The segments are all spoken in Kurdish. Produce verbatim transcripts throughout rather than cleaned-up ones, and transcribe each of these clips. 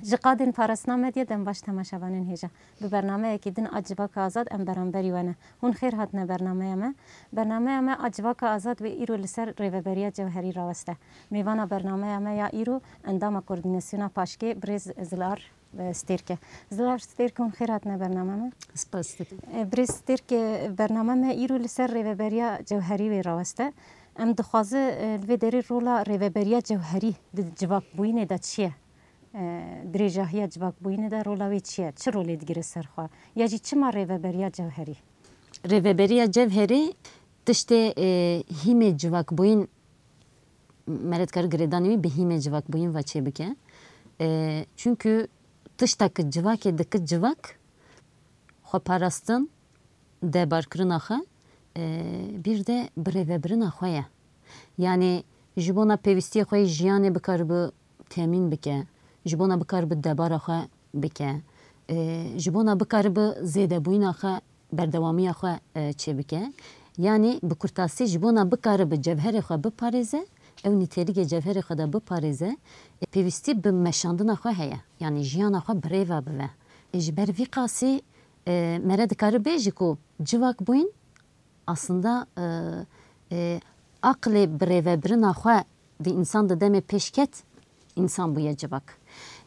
Ji qadên parastina medya dem baş temaşevanên hêja. Bi bernameyekî din a Civaka Azad em beramberî we ne. Hûn xêr hatine bernameya me. Bernameya me a Civaka Azad wê îro li ser rêveberiya cewherî raweste. Mêvana bernameya me ya îro endama koordînasyona paşkê birêz Zilar, e, Stêrk e. Zilar Stêrk, hûn xêr hatine bername me. Spas dikim. E, birêz Stêrk, e, bername me îro li ser rêveberiya cewherî wê raweste. Em dixwaze, e, li vê derê rola rêveberiya cewherî di civakbûyînê de çi ye? E, dirêjahiya civakbûyînê de rola wê çi ye? Çi rolê digire ser xwe? Ya jî çima rêveberiya cewherî? Rêveberiya cewherî tiştê, e, hîmê civakbûyîn, me re dikare girêdanê wî bi hîmê civakbûyîn ve çêbike. E, çunkî tişta ku civakê dike civak, xweparastin, debarkirina xwe, e, bir de birêvebirina xwe ye. Yanî ji bona pêwîstiyê xwe yê jiyanê bikaribe temîn bike, ji bona bikaribe debara xwe bike, e, ji bona bikaribe zêdebûyîna xwe, berdewamiya xwe, e, çêbike. Yanî bi kurtasî ji bona bikaribe cevherê xwe biparêze, ew nîtêligê cevherê xwe de biparêze, e, pêwîstî bi meşandina xwe heye. Yanî jiyana xwe birêve bive. E, ji ber vî qasî, e, me re dikare bêjî ku civakbûyîn aslında, e, e, aqlê birêvebirina xwe di însan de demê pêş ket, însan bûye civak.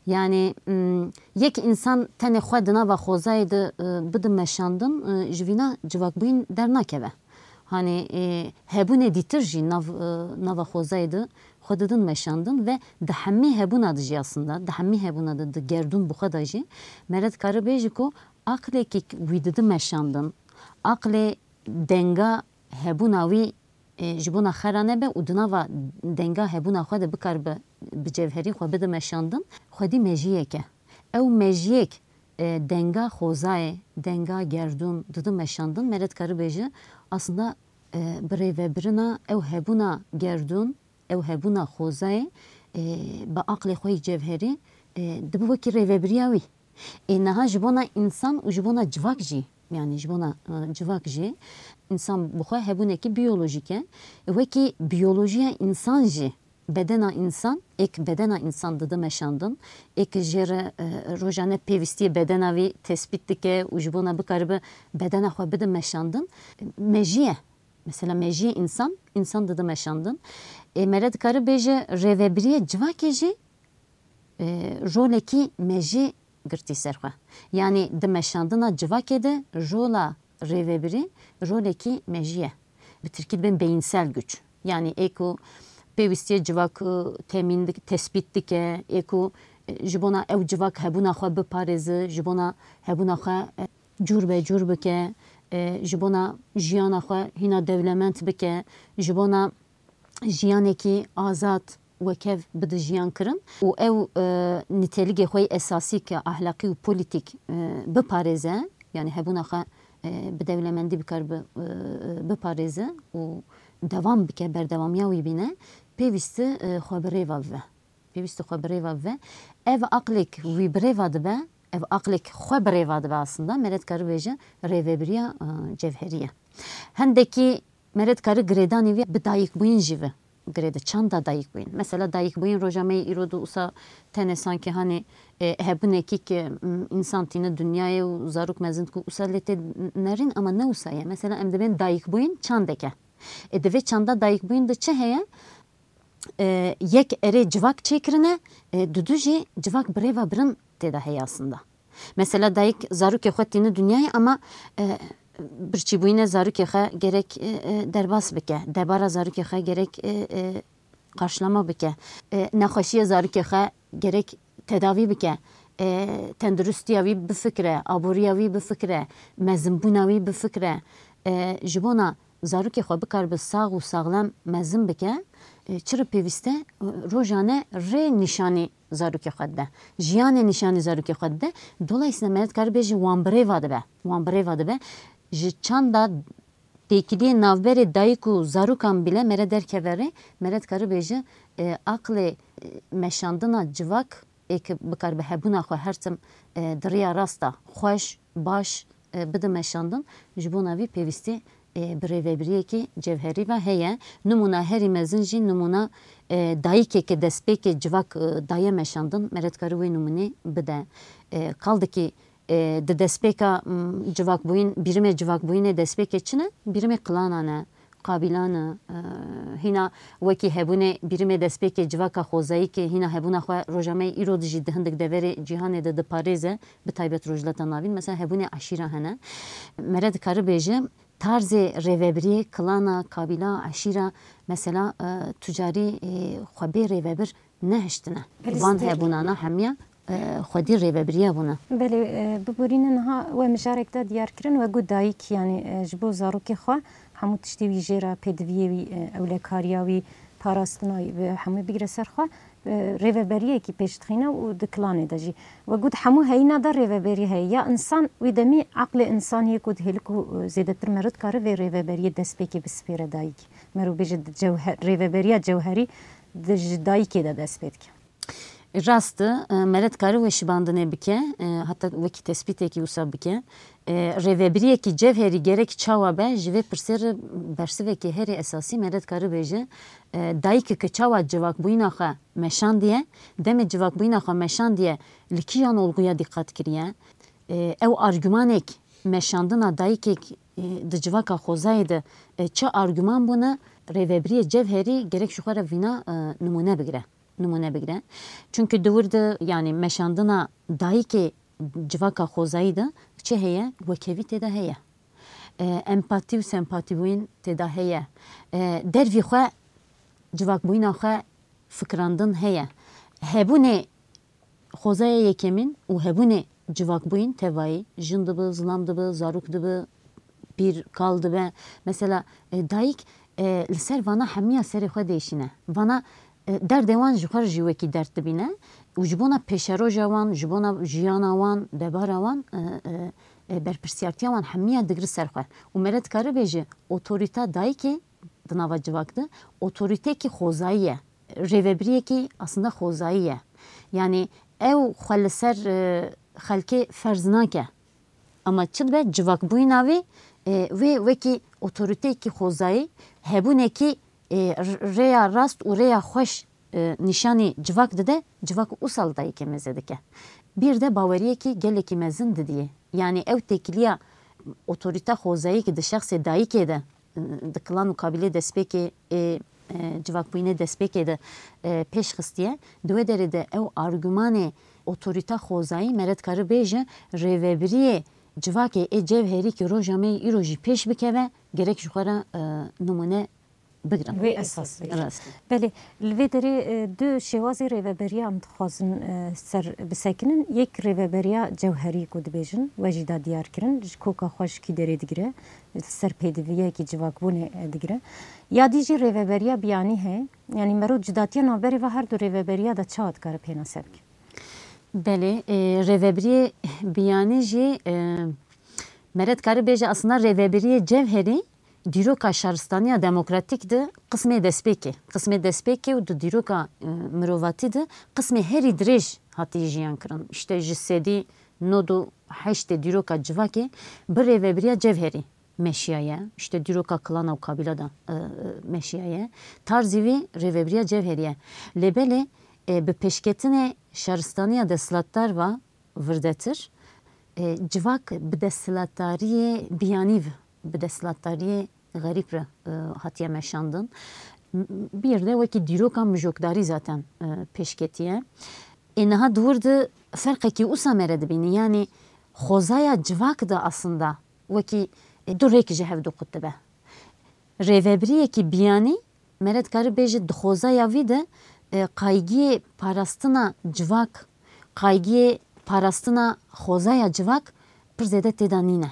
Yanî, m, yek însan tenê xwe di nava xwezayê de, e, bide meşandin, e, ji vîna civakbûyîn dernakeve. Hanî, e, hebûnê dîtir jî nav, e, nava xwezayê de xwe didin meşandin ve di hemî hebûna de jî aslında, di hemî hebûna de di gerdûn bi xwe de jî me re dikare bêjî ku aqlekî wî didi meşandin, aqlê denga hebûna wî, e, ji bona xera nebe û di nava denga hebûna xwe de bikaribe bi cevherî xwe bide meşandin, xwedî mejiyek e. Ew mejiyek, e, denga xwezayê, denga gerdûn didi meşandin, me re dikare bêje, aslında, e, birêvebirina ew hebûna gerdûn, ew hebûna xwezayê, e, bi aqlê xwe yê cevherî, e, dibe wekî rêvebiriya wî. Ê niha ji bona însan û ji bona civak jî, yanî ji bona, e, civak jî, însan bi xwe hebûnekî biyolojîk e. Wekî biyolojiya însan jî, bedena însan, êk bedena însan dide meşandin, êk jê re, e, rojane pêwîstiyê bedena wî tespît dike û ji bona bikaribe bedena xwe bide meşandin, mejî ye. Mesela mejiyê însan, însan dide meşandin. Ê me re dikare bêje rêvebiriyê civakê jî, e, rolekî mejî girtî ser xwe. Yanî di meşandina civakê de rola rêvebirî rolekî mejî ye. Bi tirkî dibên beyinsel güç. Yanî ê ku pêwîstiyê civak, e, temîn dik-, tespît dike, ê ku, e, ji bona ew civak hebûna xwe biparêze, ji bona hebûna xwe, e, cûr be cûr bike, e, ji bona jiyana xwe hîna dewlemend bike, ji bona jiyanekî azad wekev bide jiyan kirin û ew, e, nîteligê xwe yê esasî ke ahlaqî û polîtîk, e, biparêze, yanî hebûna xwe, e, bi dewlemendî bikaribe, e, biparêze û dewam bike, berdewamiya wî bîne, pêwîst e, xwe bi rêva bive. Pêwîst e xwe bi rêva bive. Ev aqlêk wî bi rêva dibe, ev aqlêk xwe bi rêva dibe aslında, me re dikare bêje rêvebiriya, e, cevherî ye. Hindekî me re dikare girêdanê wî bi dayikbûyîn jî ve girêde, çanda dayikbûyîn. Mesela dayikbûyîn roja me yê îro de wisa tenê sankî hanê, e, hebûnekî ke, m, însan tîne dinyayê û zarok mezin dike wisa lê tê nerîn, ama ne wisa ye. Mesela em dibên dayikbûyîn çandek e. E, di vê çanda dayikbûyîn de çi heye? E, yek erê civak çêkirine, e, dudu jî civak bi rêva birin tê de heye aslında. Mesela dayik zarokê xwe tîne dinyayê, ama, e, birçîbûyîne zarokê xwe gerek, e, e, derbas bike, debara zarokê xwe gerek, e, e, qarşilama bike, e, nexweşiya zarokê xwe gerek tedavî bike, e, tenduristiya wî bifikire, aboriya wî bifikire, mezinbûna wî bifikire, e, ji bona zarokê xwe bikaribe sax û saxlem mezin bike, e, çi re pêwîst e, e, rojane rê nîşanî zarokê xwe dide. Jiyanê nîşanî zarokê xwe dide. Dolayısıyla me re dikare bêje wan bi rêva dibe. Wan bi rêva dibe. Ji çanda têkiliyê navberê dayik û zarokan bile me re derkeve rê, me re dikare bêje, e, aqlê, e, meşandina civak ê ke bikaribe hebûna xwe her tim, e, di riya rasta xweş, baş, e, bide meşandin, ji bona vî pêwîstî e, bi rêvebiriyekî cevherî ve heye. Nimûna herî mezin jî nimûna, e, dayikê ke destpêkê civak, e, daye meşandin, me re dikare wê nimûnê bide. E, kaldikî, e, di destpêka, m, civakbûyîn, bîrimê civakbûyînê destpêkê çi ne? Bîrimê qilanan e, qabîlan e, e, hîna wekî hebûnê bîrimê destpêkê civaka xwezayî ke hîna hebûna xwe roja me îro dijî di hindik deverê cîhanê de diparêze, bi taybet Rojhilata Navîn, mesela hebûnê eşîra hene. Me re dikare bêje, tarzê rêvebiriyê, kilana, kabîla, eşîra, mesela, e, tu carî, e, xwe bê rêvebir nehiştine. Belê, van stêr hebûnana hemiya, e, xwedî rêvebiriya bûne. Belê, e, biborîne niha we mijarek de diyar kirin, we got dayik, yanî, e, ji bo zarokê xwe hemû tiştê wî jê re, pêdiviyê wî, e, ewlekariya wî, parastina wî, bi hemû bigire ser xwe, e, rêveberiyekî pêş dixîne û di kilanê de jî. We got hemû heyîna de rêveberî heye. Ya însan wî demî eqlê însaniyê ku dihêlik û, e, zêdetir meriv dikare vê rêveberiyê destpêkê bispêre dayikê. Meriv bêje di cewher-, rêveberiya cewherî di ji dayikê de dest pê dike. Rast e, me re dikare weşibandinê bike, e, heta wekî tespîtekî wisa bike. E, rêvebiriyekî cevherî gerek çawa be, ji vê pirsê re bersivekî herî esasî me re dikare bêje, e, dayikê ke çawa civakbûyîna xwe meşandiye, demê civakbûyîna xwe meşandiye, li kîjan olguya dîqat kiriye? E, ew argümanek meşandina dayikek, e, di civaka xwezayê de, e, çi argüman bûne, rêvebiriyê cevherî gerek ji xwe re vîna, e, nimûne bigire. Nimûne bigire. Çunke di wir de, yanî meşandina dayikê civaka xwezayî de çi heye? Wekhevî tê de heye. E, empatî û sempatîbûyîn tê de heye. E, dervî xwe, civakbûyîna xwe fikirandin heye. Hebûnê xwezaya yekemîn û hebûnê civakbûyîn tevayî, jin dibe, zilam dibe, zarok dibe, pîr, kal dibe. Mesela, e, dayik, e, li ser vana hemiya serê xwe diêşîne. Vana, e, derdê wan ji xwe re jî wekî derd dibîne û ji bona pêşeroja wan, ji bona jiyana wan, debara wan, e, e, e, berpirsiyartiya wan hemiya digire ser xwe. Û me re dikare bêje, otorîta dayikê di nava civak de otorîteyekî xwezayî ye. Rêvebiriyekî aslında xwezayî ye. Yanî ew xwe li ser, e, xelkê ferz nake. Ama çi dibe civakbûyîna wî, e, wê wekî otorîteyekî xwezayî, hebûnekî, e, r-, rêya rast û rêya xweş, e, nîşanî civak dide, civak wisa li dayikê mêze dike. Bir de baweriyekî gelekî mezin didiyê. Yanî ew têkiliya otorîta xwezayî ki di şexsê dayikê de, di kilan û kabîlê destpêkê ê, e, civakbûyînê destpêkê de, e, pêş xistiye. Di wê derê de ew argümanê otorîta xwezayî me re dikare bêje, rêvebiriyê civakê ê cevherî ki roja me yê îro jî pêş bikeve, gerek ji xwe re, e, nimûne bigirin. Wê esas bigire. Rast. Belê, li vê derê, e, du şêwazê rêveberiya em dixwazin, e, ser bisekinin. Yek rêveberiya cewherî ku dibêjin, we jî da diyar kirin, ji koka xwe ji kî derê digire, li ser pêdiviyekî civakbûnê, e, digire. Ya dî jî rêveberiya biyanî heye, yanî mero cudatiya navberê ve her du rêveberiya de çawa dikare pênase bike? Belê, e, rêvebiriyê biyanî jî, e, me re dikare bêje aslında rêvebiriyê cevherî dîroka şaristaniya demokratîk de qismê destpêkê, qismê destpêkê û di dîroka, e, mirovatî de qismê herî dirêj hatiye jiyan kirin. Îşte ji sedî nod û heştê dîroka civakê bi rêvebiriya cevherî meşiyaye. Îşte dîroka kilana û kabîla de, e, e, meşiyaye. Tarzî vî rêvebiriya cevherî ye. Lê belê, e, bi pêşketinê şaristaniya desthilatdar ve virdetir, e, civak bi desthilatdariyê biyanî ve, bi desthilatdariyê xerîb re, e, hatiye meşandin. M-, bir de wekî dîroka mijokdarî zaten, e, pêşketiye. Ê niha di wir de ferqekî wisa me re dibînî. Yanî xwezaya civak de aslında wekî, e, du rêk ji hev du qut dibe. Rêvebiriyekî biyanî, me re dikare bêje di xwezaya vî de, e, qaygiyê parastina civak, qaygiyê parastina xwezaya civak pir zêde tê de nîne.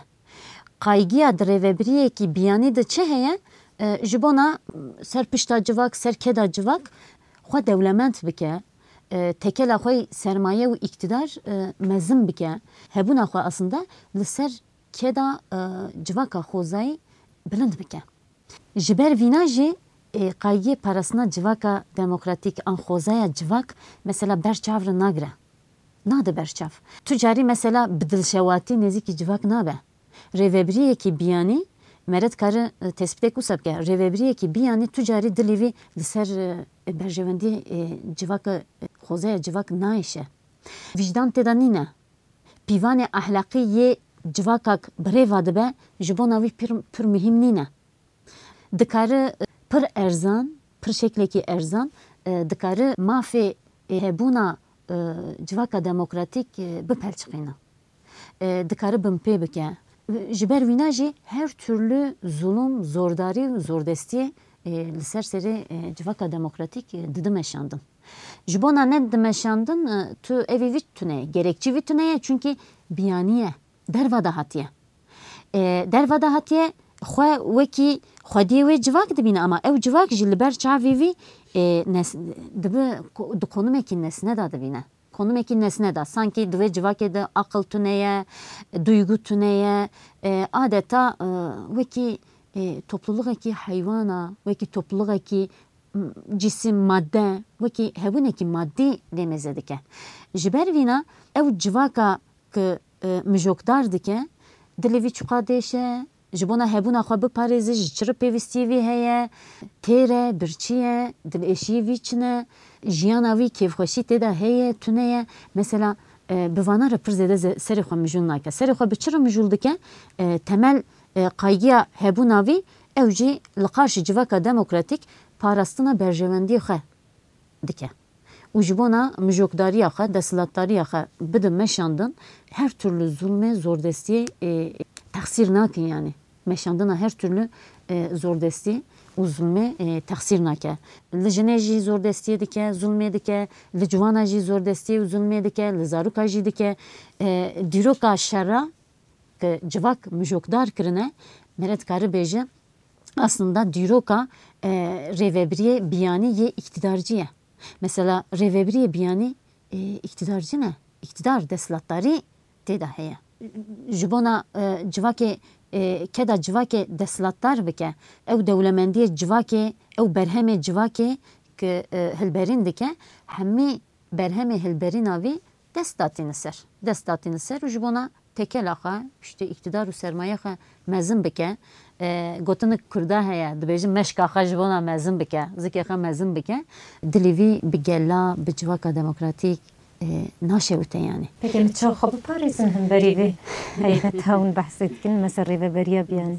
Qaygiya di rêvebiriyekî biyanî de çi heye? E, ji bona ser pişta civak, ser keda civak xwe dewlemend bike, e, tekela xwe yî sermaye û îktidar, e, mezin bike, hebûna xwe aslında li ser keda, e, civaka xwezayî bilind bike. Ji ber vîna jî, e, qaygiyê parastina civaka demokratîk an xwezaya civak mesela ber çav re nagire. Nade ber çav. Tu carî mesela bi dilşewatî nêzîkî civak nabe. Rêvebiriyekî biyanî Mere dikare, e, tespîtek wisa bike. Rêvebiriyekî biyanî tu carî dilê vî li ser, e, berjewendiyê, e, civaka, e, xozeya civak nayêşe. Vîcdan tê de nîne. Pîvanê ehlaqî yê civakak bi rê ve dibe, ji bona wî pir, pir muhîm nîne. Dikare, e, pir erzan, pir şeklekî erzan, e, dikare mafê, e, hebûna, e, civaka demokratîk, e, bipelçiqîne. E, dikare binpê bike. Ji ber wîna jî her türlü zulum, zordarî û zordestiyê, e, li ser serê, e, civaka demokratîk, e, didi meşandin. Ji bona nedidi meşandin, e, tu evî vî tune ye, gerekçî vî tune ye, çunkî biyanî ye, derva de hatiye. E, derva de hatiye, xwe wekî xwediyê wê civak dibîne, ama ew civak jî li ber çavê vî, e, nes-, dibi ko-, di konimekî nesne de dibîne. Konimekî nesne de, sankî di vê civakê de aqil tune ye, duygu tune ye, e, adeta, e, wekî, e, toplulixekî heywana, wekî toplulixekî, m, cîsim, madde, wekî hebûnekî madî lê mêze dike. Ji ber vîna ew civaka ku, e, mijokdar dike, dilê vî çiqa dêşe, ji bona hebûna xwe biparêze, ji çi re pêwîstiyê vî heye, têr e, birçî ye, dilêşiyê vî çi ne, jiyana vî kêfxweşî tê de heye, tune ye. Mesela, e, bi vana re pir zêde ze-, serê xwe mijûl nake. Serê xwe bi çi re mijûl dike? E, temel, e, qaygiya hebûna vî, ew jî li qarşî civaka demokratîk parastina berjewendiyê xwe dike. Û ji bona mijokdariya xwe, desthilatdariya xwe bide meşandin, her türlü zulmê, zordestiyê, e, texsîr nakin yani. Meşandina her türlü, e, zordestî û zulmê, e, texsîr nake. Li jinê jî zordestiyê dike, zulmê dike, li ciwana jî zordestiyê û zulmê dike, li zaroka jî dike. E, dîroka şera, ku civak mijokdar kirine, mere dikare bêje, aslında dîroka, e, rêvebiriyê biyanî yê îktidarcî ye. Mesela rêvebiriyê biyanî, e, îktidarcî ne, îktidar, desthilatdarî tê de heye. Ji bona, e, civakê, e, keda civakê desthilatdar bike, ew dewlemendiyê civakê, ew berhemê civakê ku, e, hilberîn dike, hemî berhemê hilberîna vî dest datîne ser. Dest datîne ser û ji bona tekela xwe, piştî îktidar û sermaye xwe mezin bike. E, gotinik kurda heye, dibêjin meşka xwe ji bona mezin bike, zikê xwe mezin bike. Dilê vî bi gela, bi civaka demokratîk, e, naşewite yani. Peki em çawa xwe biparêzin hemberî vê heybeta hûn behsê dikin, mesela rêveberiya biyanî?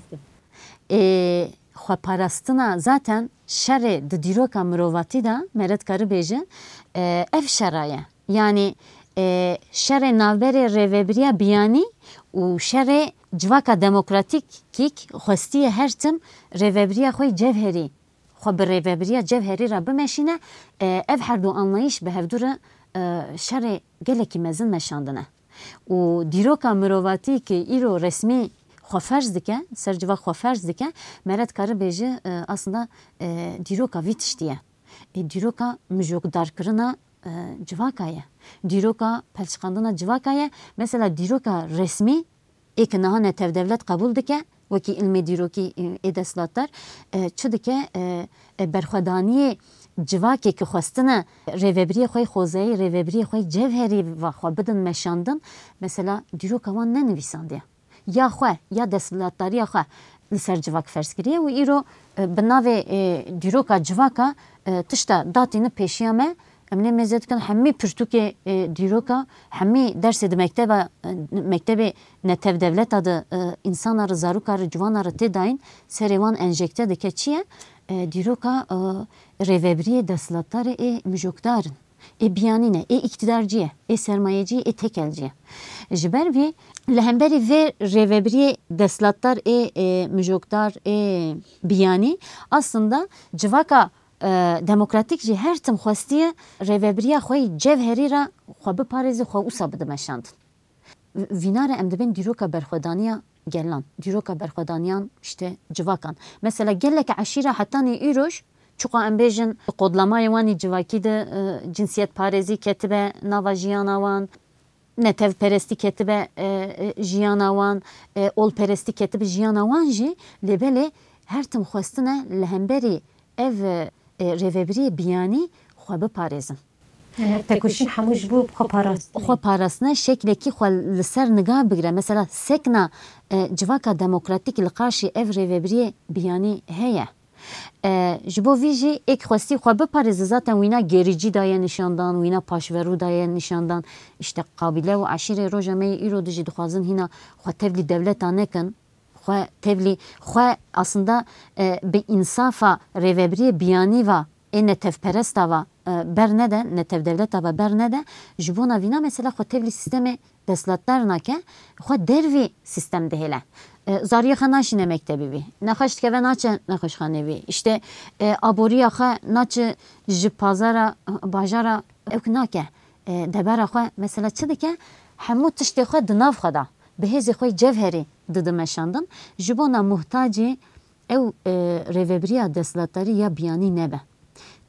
E, xweparastina zaten şerê di dîroka mirovatî de, mere dikare bêje, e, ev şera ye. Yani, e, şerê navberê rêvebiriya biyanî û şerê civaka demokratîk kîk xwestiye her tim rêvebiriya xwe yê cevherî, xwe bi rêvebiriya cevherî re bimeşîne, e, ev her du anlayîş bi hevdû re, e, şerê gelekî mezin meşandine. Û dîroka mirovatî ku îro resmî xwe ferz dike, ser civak xwe ferz dike, mere dikare bêje, e, aslında, e, dîroka vî tiştî ye. E, dîroka mijokdarkirina, e, civaka ye. Dîroka pelçiqandina civaka ye. Mesela dîroka resmî ê ku niha netewdewlet qebûl dike, wekî ilmê dîrokî, e, ê desthilatdar, e, çi dike, e, e, berxwedaniyê civakê ku xwestine rêvebiriyê xwe yê xwezayî, rêvebiriyê xwe yê cevherî ve xwe bidin meşandin, mesela dîroka wan nenivîsandiye. Ya xwe, ya desthilatdariya xwe li ser civak ferz kiriye û îro, e, bi navê, e, dîroka civaka, e, tişta datîne pêşiya me, em lê mêze dikin, hemî pirtûkê, e, dîroka, hemî dersê di mekteba, e, mektebê netewdewleta de, e, însana re, zaroka re, ciwana re tê dayîn, serê wan enjekte dike. Çi ye? E, dîroka, e, rêvebiriyê desthilatdarê ê mijokdar in. Ê biyanî ne, ê îktidarcî ye, ê sermayecî ye, ê tekelcî ye. Ji ber vê, li hemberî vê rêvebiriyê desthilatdar ê, ê mijokdar, ê biyanî, aslında civaka, e, demokratîk jî her tim xwestiye rêvebiriya xwe yê cevherî re xwe biparêze, xwe wisa bide meşandin. Vîna re em dibên dîroka berxwedaniya gelan, dîroka berxwedaniyan işte civakan. Mesela gelek eşîra hetanî îroj, çiqa em bêjin, di kodlamayê wan î civakî de, e, cinsiyetparêzî ketibe nava jiyana wan, netewperestî ketibe, e, e, jiyana wan, e, olperestî ketibe jiyana wan jî, lê belê her tim xwestine li hemberî ev, e, rêvebiriyê biyanî xwe biparêzin. Tekoşîn hemû ji bo xwe parastin. Xwe parastine, şeklekî xwe li ser niga bigire. Mesela sekna, e, civaka demokratîk li qarşî ev rêvebiriyê biyanî heye. E, ji bo vî jî êk xwestî xwe biparêze, zaten wîna gerîcî daye nîşandan, wîna paşverû daye nîşandan. Îşte qabîle û eşîrê roja me yê îro de jî dixwazin hîna xwe tevlî dewleta nekin. Xwe tevlî, xwe aslında, e, bi însafa rêvebiriyê biyanî va, ê netevperesta va, e, bernede, netevdewleta va bernede, ji bona vîna mesela xwe tevlî sîstemê destlatdar nake, xwe dervî sîstem dihêle. E, zariyê xwe naşîne mektebî bî. Nexweş dikeve naçe nexweşxanê bî. Îşte, e, aboriya xwe naçe ji pazara, bajara ewk nake. E, debera xwe mesela çi dike? Hemû tiştê xwe di nav xwe de. Bi hêzê xwe yê cevherî dide meşandin. Ji bona muhtacî ew, e, rêvebiriya desthilatdarî ya biyanî nebe.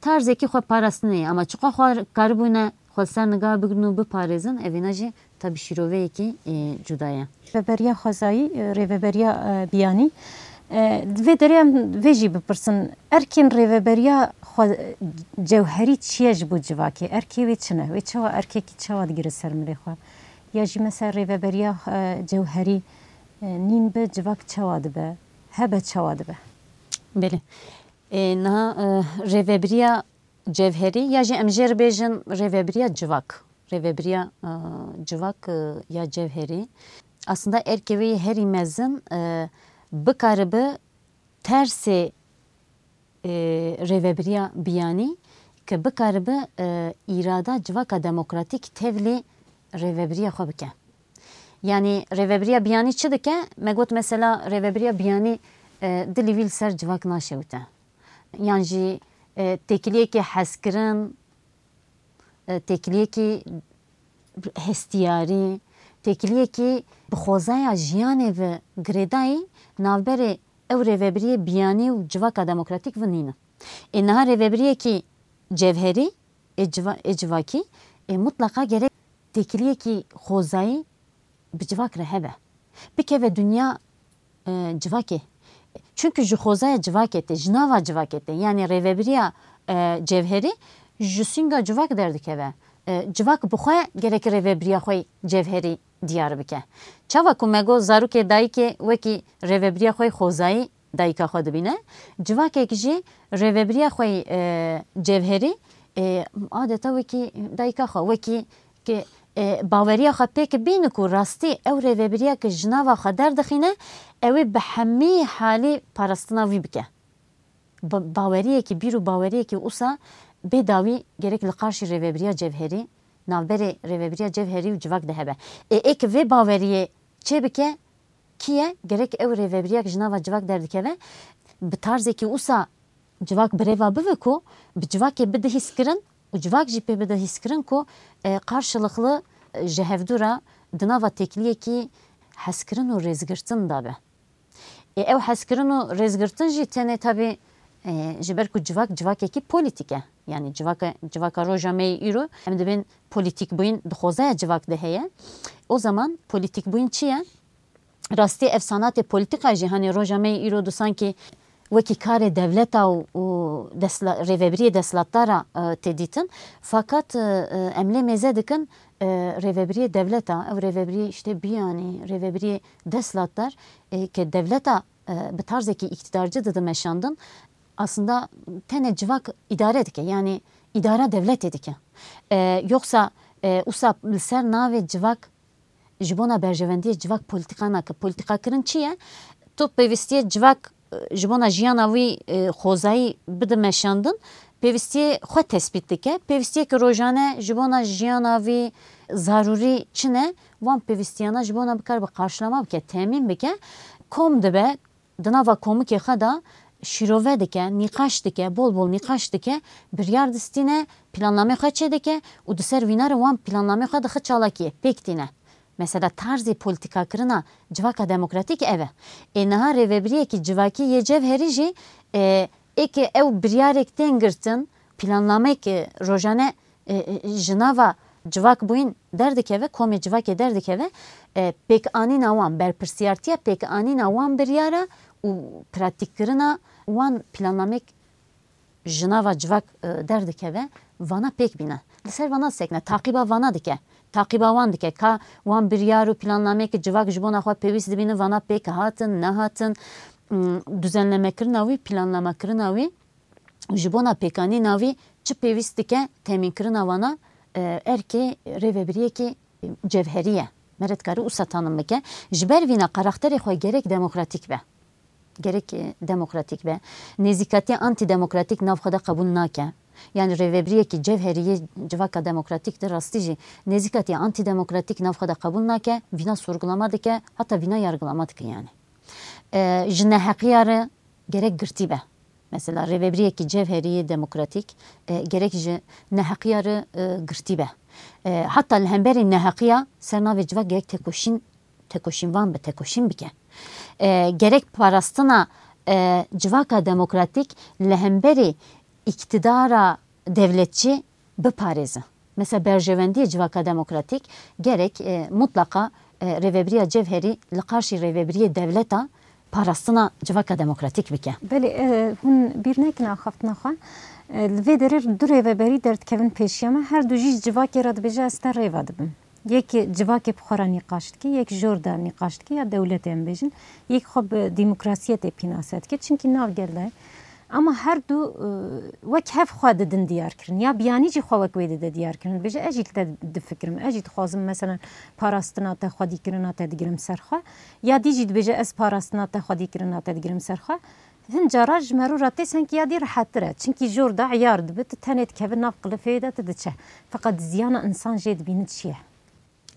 Tarzekî xwe parastinê ye, ama çiqa xwe karibûne xwe ser niga bigrin û biparêzin, evîna jî tabî şîroveyekî, e, cuda ye. Rêveberiya xwezayî, e, rêveberiya, e, biyanî. E, di vê derê em vê jî bipirsin, erkên rêveberiya xwe, cewherî çi ye ji bo civakê? Erkê wê çi ne? Wê çawa, erkekî çawa digire ser milê xwe? Ya jî mesela rêveberiya, e, cewherî, e, nîn be, civak çawa dibe? Hebe çawa dibe? Belê. E, niha, e, rêvebiriya cevherî ya jî em jê re bêjin rêvebiriya civak. Rêvebiriya, e, civak, e, ya cevherî. Aslında erkê wê yê herî mezin, e, bikaribe tersê, e, rêvebiriya biyanî ke bikaribe, e, îrada civaka demokratîk tevlî rêvebiriya xwe bike. Yanî rêvebiriya biyanî çi dike? Me got mesela rêvebiriya biyanî, e, dilî wî li ser civak naşewite. Yan jî, e, têkiliyekê hezkirin, e, têkiliyekî hestiyarî, têkiliyekî bi xwezaya jiyanê ve girêdayî navberê ew rêvebiriyê biyanî û civaka demokratîk ve nîne. Ê niha rêvebiriyekî cevherî, ê civa-, ê civakî, ê mutlaqa gerek têkiliyekî xwezayî bi civak re hebe. Bikeve dinya, e, civakê. Çunku ji xwezaya civakê tê, ji nava civakê tê. Yanî rêvebiriya, e, cevherî ji sînga civak derdikeve. E, civak bi xwe gerek rêvebiriya xwe yê cevherî diyar bike. Çawa ku me got zarokê dayikê wekî rêvebiriya xwe yê xwezayî dayika xwe dibîne. Civakek jî rêvebiriya xwe yê, e, cevherî, e, adeta wekî dayika xwe, wekî ke, e, baweriya xwe pêk bîne ku rastî ew rêvebiriya ke ji nava xwe derdixîne, ew ê bi hemî halî parastina wî bike. Ba-, baweriyekî, bîr û baweriyekî wisa bê dawî gerek li qarşî rêvebiriya cevherî, navberê rêvebiriya cevherî û civak de hebe. Ê, ê ke vê baweriyê çêbike, kî ye? Gerek ew rêvebiriya ke ji nava civak derdikeve, bi tarzekî wisa civak bi rê ve bive ku bi civakê bide hîskirin û civak jî pê bide hîskirin ku, e, qarşılıklı, e, ji hevdû re di nava têkiliyekî hezkirin û rêzgirtin de be. Ê, ew hezkirin û rêzgirtin jî tenê tabî, e, ji ber ku civak civakekî polîtîk e. Yanî civaka, civaka roja me yê îro, em dibên polîtîkbûyîn di xwezaya civak de heye. O zaman polîtîkbûyîn çi ye? Rastî ev sanatê polîtîka jî, hanê roja me yê îro du sankî wekî karê dewleta û, û desla-, rêvebiriyê desthilatdara, e, tê dîtin. Fakat, e, e, em lê mêze dikin, e, rêvebiriyê dewleta, ew rêvebiriyê işte biyanî, rêvebiriyê desthilatdar, e, ke dewleta, e, bi tarzekî îktîdarcî dide meşandin, aslında tenê civak îdare dike, yanî îdara dewletê dike. E, yoksa, e, usa li ser navê civak ji bona berjewendiyê civak polîtîka nake. Polîtîkakirin çi ye? Tu pêwîstiyê civak, e, ji bona jiyana wî, e, xwezayî bide meşandin, pêwîstiyê xwe tespît dike. Pêwîstiyeke rojane ji bona jiyana wî zarûrî çi ne? Wan pêwîstiyana ji bona bikaribe qarşilama bike, temîn bike, kom dibe, di nava komikê xwe de şîrove dike, nîqaş dike, bol bol nîqaş dike, biryar distîne, planamê xwe çêdike û di ser wîna re wan planamê xwe dixe çalakiyê, pêk tîne. Mesela tarzê polîtîkakirina civaka demokratîk ev e. Ê niha rêvebiriyekî civakî yê cevherî jî, e, ê ke ew biryarek tên girtin, plannamek, e, rojane, e, e, ji nava civakbûyîn derdikeve, komê civakê derdikeve, e, pêkanîna wan, berpirsiyartiya pêkanîna wan biryara û pratîkkirina wan plannamek ji nava civak, e, derdikeve, vana pêk bîne. Li ser vana disekine, taqîba vana dike. Taqîba wan dike. Ka wan biryar û plannameyeke civak ji bona xwe pêwîst dibînin, vana pêk hatin, nehatin. Hmm, duzenlemekirina wî, planlamekirina wî, ji bona pêkanîna wî çi pêwîst dike, temînkirina wana, e, erkê rêvebiriyekî cevherî ye. Mere dikare wisa tanim bike. Ji ber vîna karakterê xwe gerek demokratîk be. Gerek, e, demokratîk be. Nêzîkatiya antîdemokratîk nav xwe de qebûl nake. Yani rêvebiriyekî cevherî yê civaka demokratîk de rastî jî nêzîkatiya antîdemokratîk nav xwe de qebûl nake, vîna sorgulama dike, heta vîna yargilama dike yani. E, ji neheqiya re gerek girtî be. Mesela rêvebiriyekî cevherî yê demokratîk, e, gerek ji neheqiya re, e, girtî be. E, heta li hemberî neheqiya ser navê civak gerek tekoşîn, tekoşînvan be, tekoşîn bike. E, gerek parastina, e, civaka demokratîk li hemberî îktidara dewletçî biparêze. Mesela berjewendiyê civaka demokratîk gerek, e, mutlaqa, e, rêvebiriya cevherî li qarşî rêvebiriyê dewleta parastina civaka demokratîk bike. Belê, e, hûn bîr nekin axaftina xwe. E, li vê derê du rêveberî derdikevin pêşiya me. Her du jî ji civakê re dibêje, ez te rêve dibim. Yek civakê bi xwe re nîqaş dike, yek jor de nîqaş dike, ya dewletê em bêjin. Yek xwe bi demokrasiyetê pînase dike. Çimkî nav gel de ye. Ama her du, e, wek hev xwe didin diyarkirin. Ya biyanî jî xwe wek wê dide diyarkirin. Dibêje, ez jî li te difikirim. Ez jî dixwazim, meselen, parastina te, xwedîkirina te digirim ser xwe. Ya dî jî dibêje, ez parastina te, xwedîkirina te digirim ser xwe. Hin cara ji merû re tê sengkî ya dî rehettir e. Çimkî jor de eyar dibe, tu tenê dikeve nav qilifê de, tu diçe. Feqet ziyana insan jê dibîne çi ye?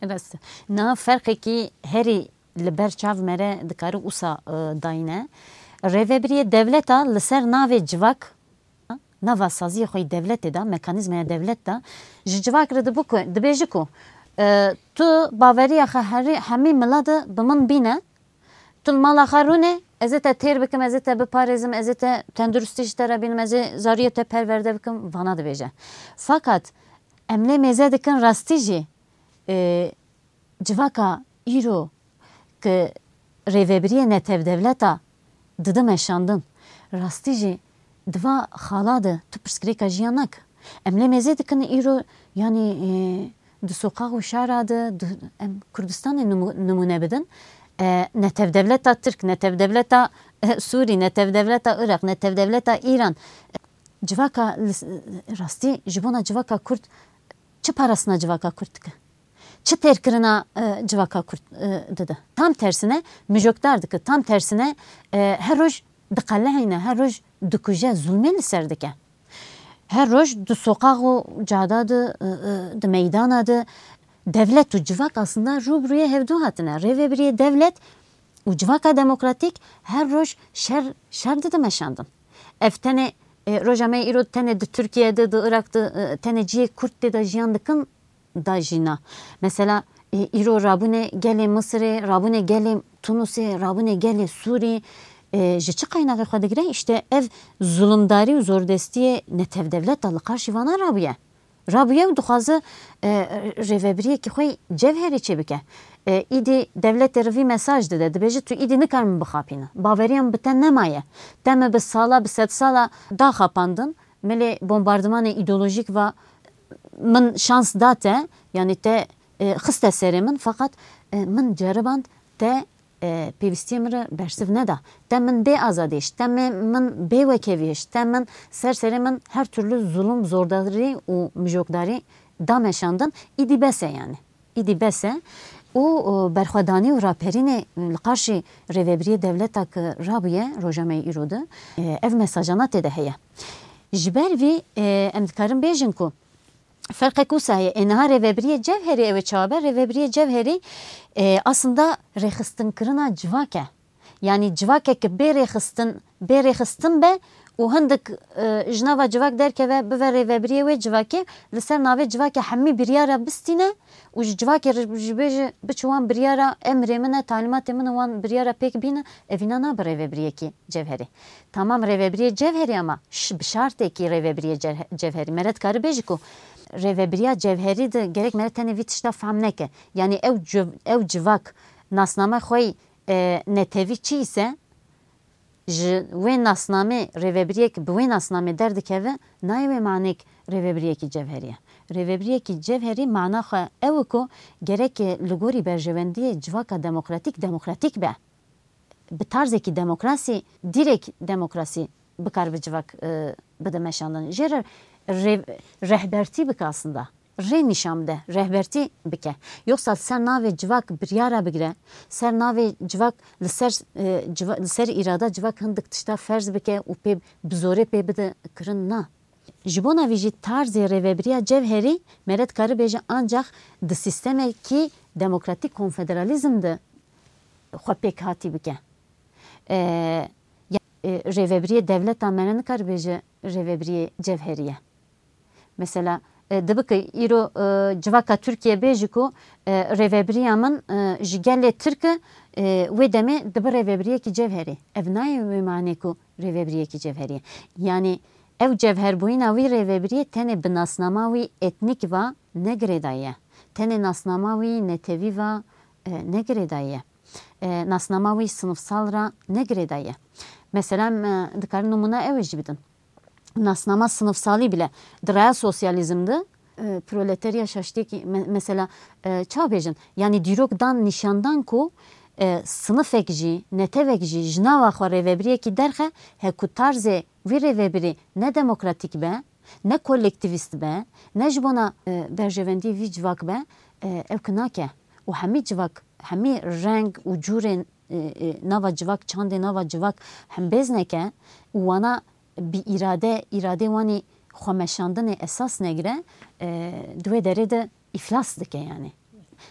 Rast. Niha ferqekî herî li ber çav me re dikare wisa, e, dayîne. Rêvebiriyê dewleta li ser navê civak, nava saziyê xwe yê dewletê de, mekanîzmaya dewlet de, ji civak re dibe ku, dibêje ku, e, tu baveriya xwe herî, hemî mila de bi min bîne, tu li mala xwe rûne, ez ê te têr bikim, ez ê te biparêzim, ez ê te tenduristî ji te re bînim, ez ê zariyê te perwerde bikim, vana dibêje. Fakat em lê mêze dikin rastî jî, e, civaka îro ki rêvebiriyê netewdewleta dide meşandin, rastî jî di va xala de tu pirsgirêka jiyan nake. Em lê mêze dikin îro, yanî, e, di soqax û şara de, di, em Kurdistanê nimû-, nimûne bidin. E, netewdewleta Tirk, netewdewleta, e, Sûrî, netewdewleta Iraq, netewdewleta Îran. E, civaka li s-, rastî ji bona civaka Kurd çi parastina civaka Kurd dike? Çi têrkirina, e, civaka Kurd, e, dide? Tam tersine mijokdar dike, tam tersine, e, her roj diqelihîne, her roj dikuje, zulmê li ser dike. Her roj di soqax û cada de, e, e, di meydana de dewlet û civak aslında rû bi rûyê hevdû hatine. Rêvebiriyê dewlet û civaka demokratîk her roj şer, şer dide meşandin. Ev tenê, e, roja me îro tenê di Tirkiye de, di Iraq de, e, tenê cihê Kurd tê de jiyan dikin da jî na. Mesela, e, îro rabûnê gelê Misirê, rabûnê gelê Tunusê, rabûnê gelê Sûrî, e, ji çi qaynaxê xwe digire? Îşte ev zulumdarî û zordestiyê netewdewleta li qarşî vana rabûye. Rabûye û dixwaze, e, rêvebiriyekî xwe cevherî çêbike. E, îdî dewletê re vî mesaj dide, dibêje tu îdî nikar min bixapîne. Baveriya min bi te nemaye. Te min bi sala, bi sedsala daxapandin. Milê bombardimanê îdeolojîk va min şans da te, yanî te, e, xiste serê min, feqet, e, min ceriband te, e, pêvîstiyê min re bersiv neda. Te min bê azadî hişt, te min, min bê wekevî hişt, te min ser serê min her türlü zulum, zordarî û mijokdarî da meşandin. Îdî bes e yanî. Îdî bes e. Û, û berxwedanî û raperînê li qarşî rêvebiriyê dewleta ku rabûye roja me yê îro de, e, ev mesajana tê de heye. Ji ber vî, e, em dikarin bêjin ku ferqek wisa heye. Ê niha rêvebiriyê cevherî ew ê çawa be? Rêvebiriyê cevherî, e, aslında rêxistinkirina civak e. Yanî civakeke bê rêxistin, bê rêxistin be û hindik, e, ji nava civak derkeve, bive rêvebiriyê wê civakê, li ser navê civakê hemî biryara bistîne û ji civakê re ji bê jî biçe wan biryara, emrê min e, talîmatê min e, wan biryara pêk bîne, evîna nabe rêvebiriyekî cevherî. Tamam, rêvebiriyê cevherî ama ş-, bi şartêkî rêvebiriyê cevhe-, cevherî. Mere dikare bêjî ku rêvebiriya cevherî de gerek mere tenê vî tişta fehm neke. Yanî ew civ-, ew civak nasname xwe yî, e, netewî çi îse, Ji wê nasnamê rêvebiriyek bi wê nasnamê derdikeve, nayê wê manêk rêvebiriyekî cevherî ye. Rêvebiriyekî cevherî mana xwe ew e ku gerek li gorî berjewendiyê civaka demokratîk demokratîk be. Bi tarzekî demokrasî, dîrek demokrasî bikaribe civak, e, bide meşandin. Jê re rê-, rehbertî bike aslında. Rê nîşan bide, rehbertî bike. Yoksa ser navê civak biryara bigire, ser navê civak li ser, e, civa-, li ser îrada civak hindik tişta ferz bike û pê bi zorê pê bide kirin, na. Ji bona vî jî tarzê rêvebiriya cevherî mere dikare bêje ancax di sîstemekî demokratîk konfederalîzm de xwe pêkhatî bike. E, ya, e, rêvebiriyê dewleta mere nikare bêje rêvebiriyê cevherî ye. Mesela, e, dibe ku îro, e, civaka Tirkiye bêje ku, e, rêvebiriya min, e, ji gelê Tirk e, e, wê demê dibe rêvebiriyekî cevherî. Ev nayê wê manê ku rêvebiriyekî cevherî ye. Yanî ew cevherbûyîna wî rêvebiriyê tenê bi nasnama wî etnîk va ne girêdayî ye. Tenê nasnama wî netewî va, e, ne girêdayî ye. E, nasnama wî sinifsal ra ne girêdayî ye. Mesela, em, e, dikarin nimûna ew ê jî bidin. Nasnama sinifsalî bile di raya sosyalîzm de, e, proleterya şaştiyekî me-, mesela, e, çawa bêjin? Yanî dîrok dan nîşandan ku, e, sinifek jî, netewek jî ji nava xwe rêvebiriyekî derxe, he ku tarzê wî rêvebirî ne demokratîk be, ne kolektîvîst be, ne ji bona, e, berjewendiyê vî civak be, e, ew ki nake. Û hemî civak, hemî reng û cûrên, e, e, nava civak, çandê nava civak hembêz neke û wana bi îrade, îradê wanî xwemeşandinê esas negire, e, di wê derê de îflas dike yanî.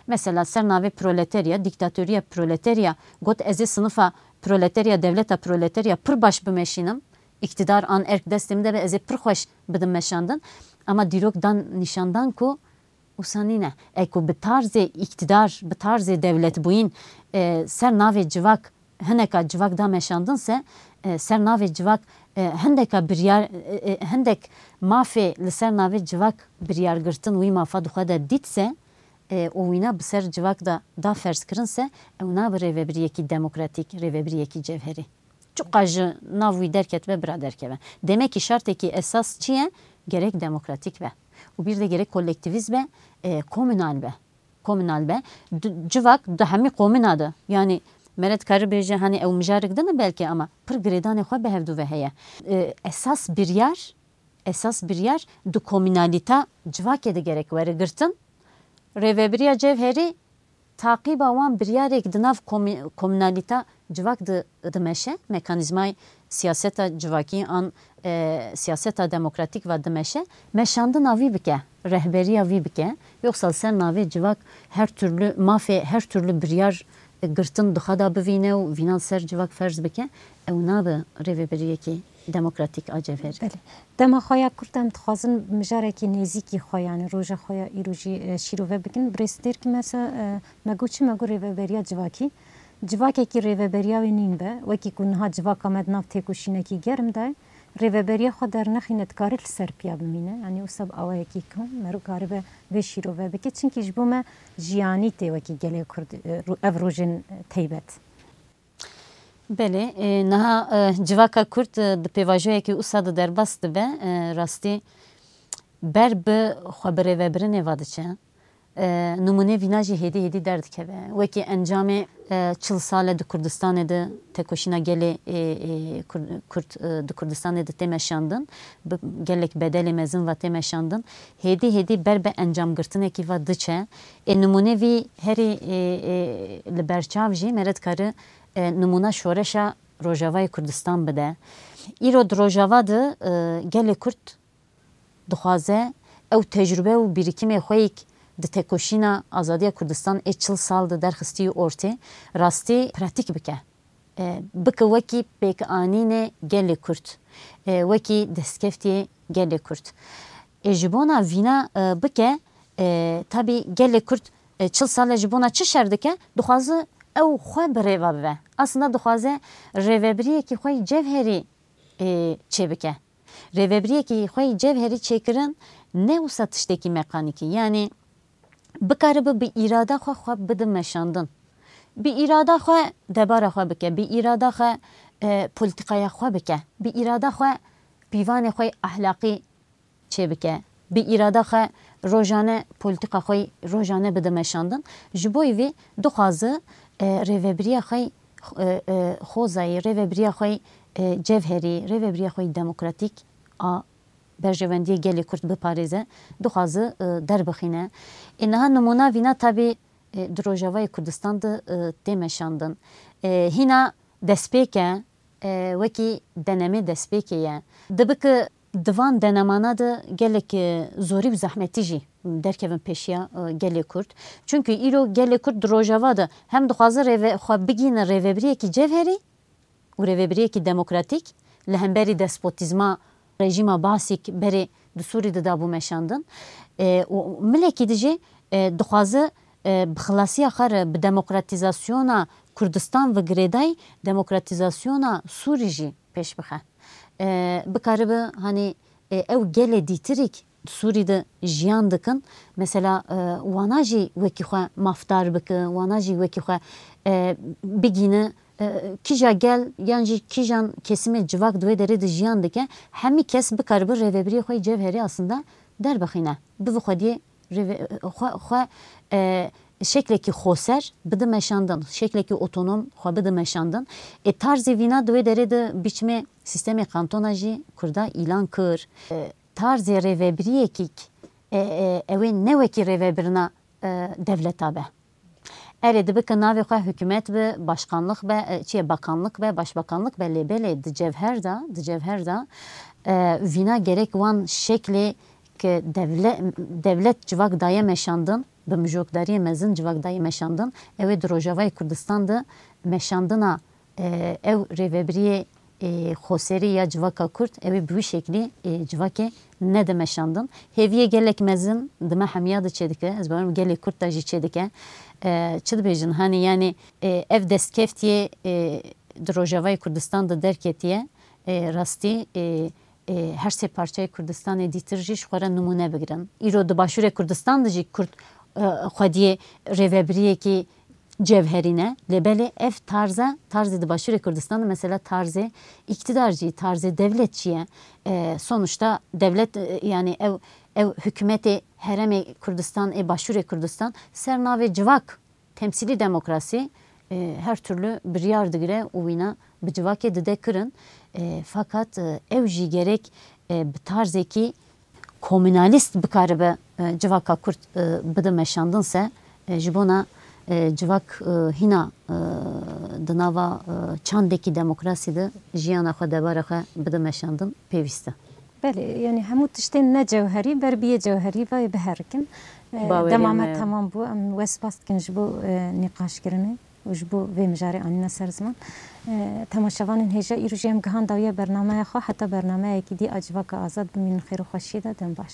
Mesela ser navê proleterya, dîktatoriya proleterya, got ez ê sinifa proleterya, dewleta proleterya pir baş bimeşînim, îktidar an erk destê min de be, ez ê pir xweş bidim meşandin. Ama dîrok dan nîşandan ku wisa nîne. E ku bi tarzê îktidar, bi tarzê dewletbûyîn, e, ser navê civak hineka civak da meşandin se, e, ser navê civak, e, hindeka biryar, e, e, hindek mafê li ser navê civak biryar girtin wî mafa di xwe de dît se, e, û wîna bi ser civak de da ferz kirin se, ew nabe rêvebiriyekî demokratîk, rêvebiriyekî cevherî. Çiqa ji nav wî derketibe, bira derkeve. Demekî şartekî esas çi ye? Gerek demokratîk be. Û bir de gerek kolektîvîst be, e, komunal be. Komunal be. Du-, civak di hemî komuna de. Yanî mere dikare bêje, hani ew mijarek din e belkî, ama pir girêdanê xwe bi hevdû ve heye. E, esas biryar, esas biryar di komunalîta civakê de gerek were girtin. Rêvebiriya cevherî taqîba wan biryarek di nav komî-, komunalîta civak di, dimeşe, mekanîzmayê siyaseta civakî an, e, siyaseta demokratîk ve dimeşe, meşandina vî bike, rehberiya vî bike. Yoksa li ser navê civak her türlü mafê, her türlü biryar, e, girtin di xwe de bivîne û vîna li ser civak ferz bike, ew nabe rêvebiriyekî demokratîk a cevherî. Belê. Dema xwe ya kurt em dixwazin mijarekî nêzîkî xwe, yanî roja xwe ya îro jî, e, şîrove bikin. Birêz Têrkî mesela, e, me got çi? Me got rêveberiya civakî. Civakekî rêveberiya wê nîn be, wekî ku niha civaka me di nav têkoşînekî germ de ye, rêveberiya xwe dernexîne, dikare li ser piya bimîne. Yanî wisa bi awayekî ku mero karibe vê şîrove bike. Çimkî ji bo me jiyanî tê wekî gelê Kurd, e, ro-, ev rojên taybet. Belê, e, niha, e, civaka Kurd, e, di pêvajoyekî wisa de derbas dibe, e, rastî ber bi xwe birêvebirinê ve diçe. E, nimûnê vîna jî hêdî hêdî derdikeve. Wekî encamê, e, çil sal e di Kurdistanê de tekoşîna gelê, e, e, Kur-, Kurd, e, di Kurdistanê de tê meşandin, bi gelek bedelê mezin ve tê meşandin. Hêdî hêdî ber bi encamgirtinekî ve diçe. Ê nimûnê vî herî, e, e, li ber çav jî mere dikare, e, nimûna şoreşa Rojavayê Kurdistan bide. Îro di Rojava de, e, gelê Kurd dixwaze ew tecrube û birîkimê xwe yek di tekoşîna azadiya Kurdistan ê çil sal de derxistî ortê, rastî pratîk bike. E, bike wekî pêkanînê gelê Kurd, e, wekî destkeftiyê gelê Kurd. E, ji bona vîna, e, bike, e, tabî gelê Kurd, e, çil sal e ji bona çi şer dike? Dixwaze ew xwe bi rêva bive. Aslında dixwaze rêvebiriyekî xwe yî cevherî, e, çêbike. Rêvebiriyekî xwe yî cevherî çêkirin ne wisa tiştekî mekanîkî. Yanî bikaribe bi îrada xwe xwe bide meşandin. Bi îrada xwe debara xwe bike, bi îrada xwe, e, polîtîkaya xwe bike, bi îrada xwe pîvanê xwe yê ehlaqî çêbike, bi îrada xwe rojane polîtîka xwe yê rojane bide meşandin. Ji bo vî dixwaze, e, rêvebiriya xwe yê, e, e, xwezayî, rêvebiriya xwe yê, e, cevherî, rêvebiriya xwe yê demokratîk a berjewendiyê gelê Kurd biparêze, dixwaze, e, derbixîne. Ê niha nimûna vîna tabî, e, di Rojavayê Kurdistan de, e, tê meşandin. E, hîna destpêk e, e, wekî denemê destpêkê ye. Dibe ku di van denemana de gelek, e, zorî û zehmetî jî derkevin pêşiya, e, gelê Kurd. Çimkî îro gelê Kurd di Rojava de hem dixwaze rêve-, xwe bigihîne rêvebiriyekî cevherî, û rêvebiriyekî demokratîk li hemberî despotîzma rejîma Baasî berê di Sûrî de dabû meşandin. E, û milekî dî jî, e, dixwaze, e, bi xilasiya xwe re bi demokratîzasyona Kurdistan ve girêdayî demokratîzasyona Sûrî jî pêş bixe. E, bikaribe, hanî, e, ew gelê dîtirîk di Sûrî de jiyan dikin. Mesela, e, wana jî wekî xwe mafdar bike, wana jî wekî xwe, e, bigîne, e, kîja gel yan jî kîjan kesimê civak di wê derê de jiyan dike, hemî kes bikaribe rêvebiriyê xwe yê cevherî aslında derbixîne. Bi vî xwediyê rêve-, xwe, xwe, e, şeklekî xoser bide meşandin, şeklekî otonom xwe bide meşandin. Ê tarzê vîna di wê derê de biçimê sîstemê kantona jî Kurda îlan kir. E, tarzê rêvebiriyekî k-, e, e, ew ê ne wekî rêvebirina, e, devleta be. Erê, dibe ku navê xwe hikûmet be, başkanlık be, e, çi ye, bakanlık be, başbakanlık be, lê belê di cevher de, di cevher de, e, vîna gerek wan şeklê ku devle-, devlet civak daye meşandin, bi mijokdariyê mezin civak daye meşandin, ew ê di Rojavayê Kurdistan de meşandina, e, ew rêvebiriyê, e, xoserî ya civaka Kurd, ew ê bi wî şeklî, e, civakê nede meşandin. Hêviyê gelek mezin di me hemiya de çêdike, ez bawerim gelê Kurd de jî çêdike. E, çi dibêjin, hanî, yanî, e, ev destkeftiyê, e, di Rojavayê Kurdistan de derketiye, e, rastî, e, e, her sê parçeyê Kurdistanê dîtir jî ji xwe re nimûne bigirin. Îro di Başûrê Kurdistan de jî Kurd, e, xwediyê rêvebiriyekî cevherî ne. Lê belê ev tarza, tarzê di Başûrê Kurdistan de, mesela tarzê îktidar jî, tarzê devlet jî ye. E, sonuçta devlet, e, yanî ew, ew hikûmetê herêmê Kurdistan, ê Başûrê Kurdistan ser navê civak, temsîlî demokrasî, e, her türlü biryar digire û wîna bi civakê dide kirin. E, fakat, e, ew jî gerek, e, bi tarzekî komûnalîst bikaribe, e, civaka Kurd, e, bide meşandin se, e, ji bona, e, civak, e, hîna, e, di nava, e, çandekî demokrasî de jiyana xwe, debara xwe bide meşandin pêwîst e. Belê, yanî hemû tiştên ne cewherî ber biyê cewherî ve biherikin. E, Bawerê dema me me. Temam bû. Em we spas dikin ji bo, e, nîqaşkirinê û ji bo vê mijarê anîne ser ziman. E, temaşevanên hêja, îro jî em gihan dawiya bernameya xwe, heta bernameyekî dî a Civaka Azad bimînin xêr û xweşiyê de, dem baş.